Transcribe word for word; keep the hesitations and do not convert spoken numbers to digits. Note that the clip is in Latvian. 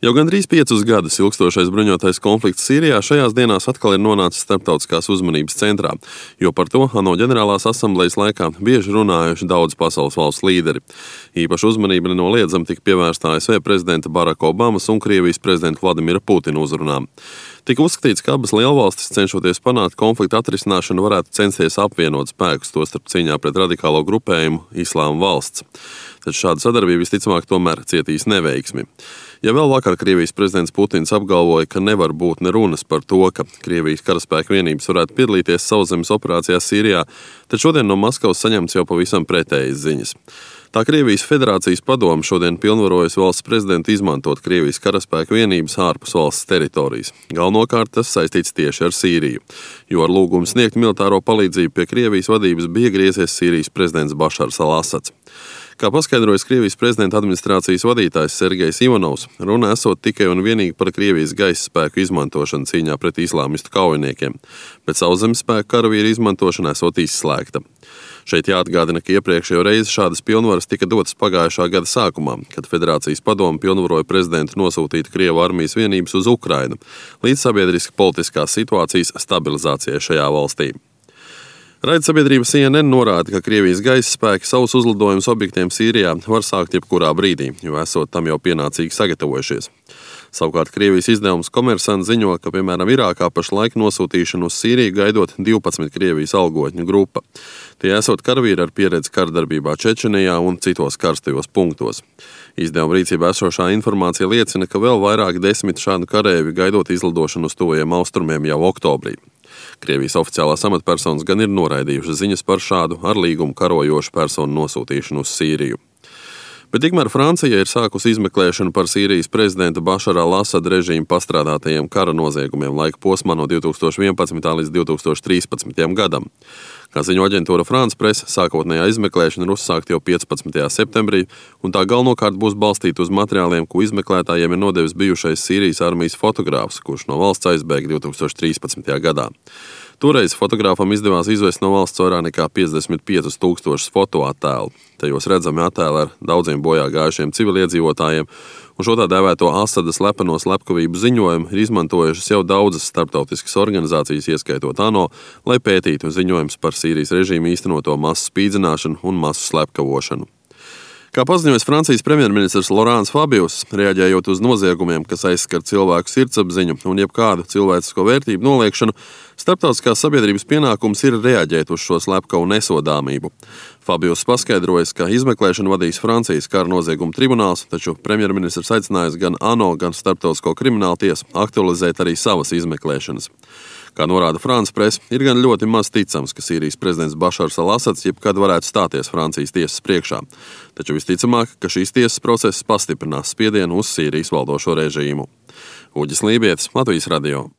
Jau gandrīz piecus gadus ilgstošais bruņotais konflikts Sīrijā šajās dienās atkal ir nonācis starptautiskās uzmanības centrā, jo par to ANO ģenerālās asamblejas laikā bieži runājuši daudz pasaules valstu līderi. Īpaša uzmanība nenoliedzami tika pievērsta A S V prezidenta Baraka Obamas un Krievijas prezidenta Vladimira Putina uzrunām. Tika uzskatīts, ka abas lielvalstis, cenšoties panākt konflikta atrisināšanu, varētu censties apvienot spēkus, tostarp cīņā pret radikālo grupējumu Islāma valsts. Taču šāda sadarbība visticamāk tomēr cietīs neveiksmi. Ja vēl vakar Krievijas prezidents Putins apgalvoja, ka nevar būt ne runas par to, ka Krievijas karaspēku vienības varētu piedalīties sauszemes operācijās Sīrijā, tad šodien no Maskavas saņemts jau pavisam pretējas ziņas. Tā Krievijas Federācijas padome šodien pilnvarojas valsts prezidentu izmantot Krievijas karaspēku vienības ārpus valsts teritorijas. Galvenokārt tas saistīts tieši ar Sīriju, jo ar lūgumu sniegt militāro palīdzību pie Krievijas vadības bija griezies Sīrijas prezidents Bašars al-Asads. Kā paskaidrojas Krievijas prezidenta administrācijas vadītājs Sergejs Ivanovs, runa esot tikai un vienīgi par Krievijas gaisa spēku izmantošanu cīņā pret islāmistu kaujiniekiem, bet sauszemes spēku karavīru izmantošana esot izslēgta. Šeit jāatgādina, ka iepriekšējo reizi šādas pilnvaras tika dotas pagājušā gada sākumā, kad Federācijas padome pilnvaroja prezidentu nosūtīt Krievu armijas vienības uz Ukrainu līdz sabiedriski politiskās situācijas stabilizācijai šajā valstī. Raidsabiedrība C N N norāda, ka Krievijas gaisa spēki savus uzlidojumus objektiem Sīrijā var sākt jebkurā brīdī, jo esot tam jau pienācīgi sagatavojušies. Savukārt Krievijas izdevums Komersants ziņo, ka, piemēram, Irākā pašlaik nosūtīšanu uz Sīriju gaidot divpadsmit Krievijas algotņu grupa. Tie esot karavīri ar pieredzi kardarbībā Čečenijā un citos karstajos punktos. Izdevuma rīcībā esošā informācija liecina, ka vēl vairāk desmit šādu karēvi gaidot izlidošanu uz tuvajiem austrumiem jau oktobrī. Krievijas oficiālās amatpersonas gan ir noraidījušas ziņas par šādu ar līgumu karojošu personu nosūtīšanu uz Sīriju. Bet tikmēr Francija ir sākusi izmeklēšanu par Sīrijas prezidenta Bašara al-Asada režīma pastrādātajiem kara noziegumiem laika posmā no divi tūkstoši vienpadsmitā līdz divi tūkstoši trīspadsmitajam gadam. Kā ziņo aģentūra France Presse, sākotnējā izmeklēšana ir uzsākta jau piecpadsmitajā septembrī, un tā galvenokārt būs balstīta uz materiāliem, ko izmeklētājiem ir nodevis bijušais Sīrijas armijas fotogrāfs, kurš no valsts aizbēga divi tūkstoši trīspadsmitajā gadā. Toreiz fotogrāfam izdevās izvest no valsts vairāk nekā piecdesmit piecus tūkstošus fotoattēlu. Tajos redzami attēli ar daudziem bojā gājušiem civiliedzīvotājiem, un šo tā dēvēto Asada slepeno slepkavību ziņojumu ir izmantojušas jau daudzas starptautiskas organizācijas, ieskaitot ANO, lai pētītu ziņojumus par Sīrijas režīmu īstenoto masu spīdzināšanu un masu slepkavošanu. Kā paziņojas Francijas premjerministrs Laurents Fabius, reaģējot uz noziegumiem, kas aizskar cilvēku sirdsapziņu un jebkādu cilvēcisko vērtību noliekšanu, starptautiskās sabiedrības pienākums ir reaģēt uz šo slepkavu nesodāmību. Fabius paskaidrojas, ka izmeklēšanu vadīs Francijas kara noziegumu tribunāls, taču premjerministrs aicinājis gan ANO, gan Starptautisko kriminālu tiesu aktualizēt arī savas izmeklēšanas. Kā norāda France Presse, ir gan ļoti maz ticams, ka Sīrijas prezidents Bašars al-Asads jebkad varētu stāties Francijas tiesas priekšā. Taču visticamāk, ka šīs tiesas process pastiprinās spiedienu uz Sīrijas valdošo režīmu. Uģis Lībietis, Latvijas radio.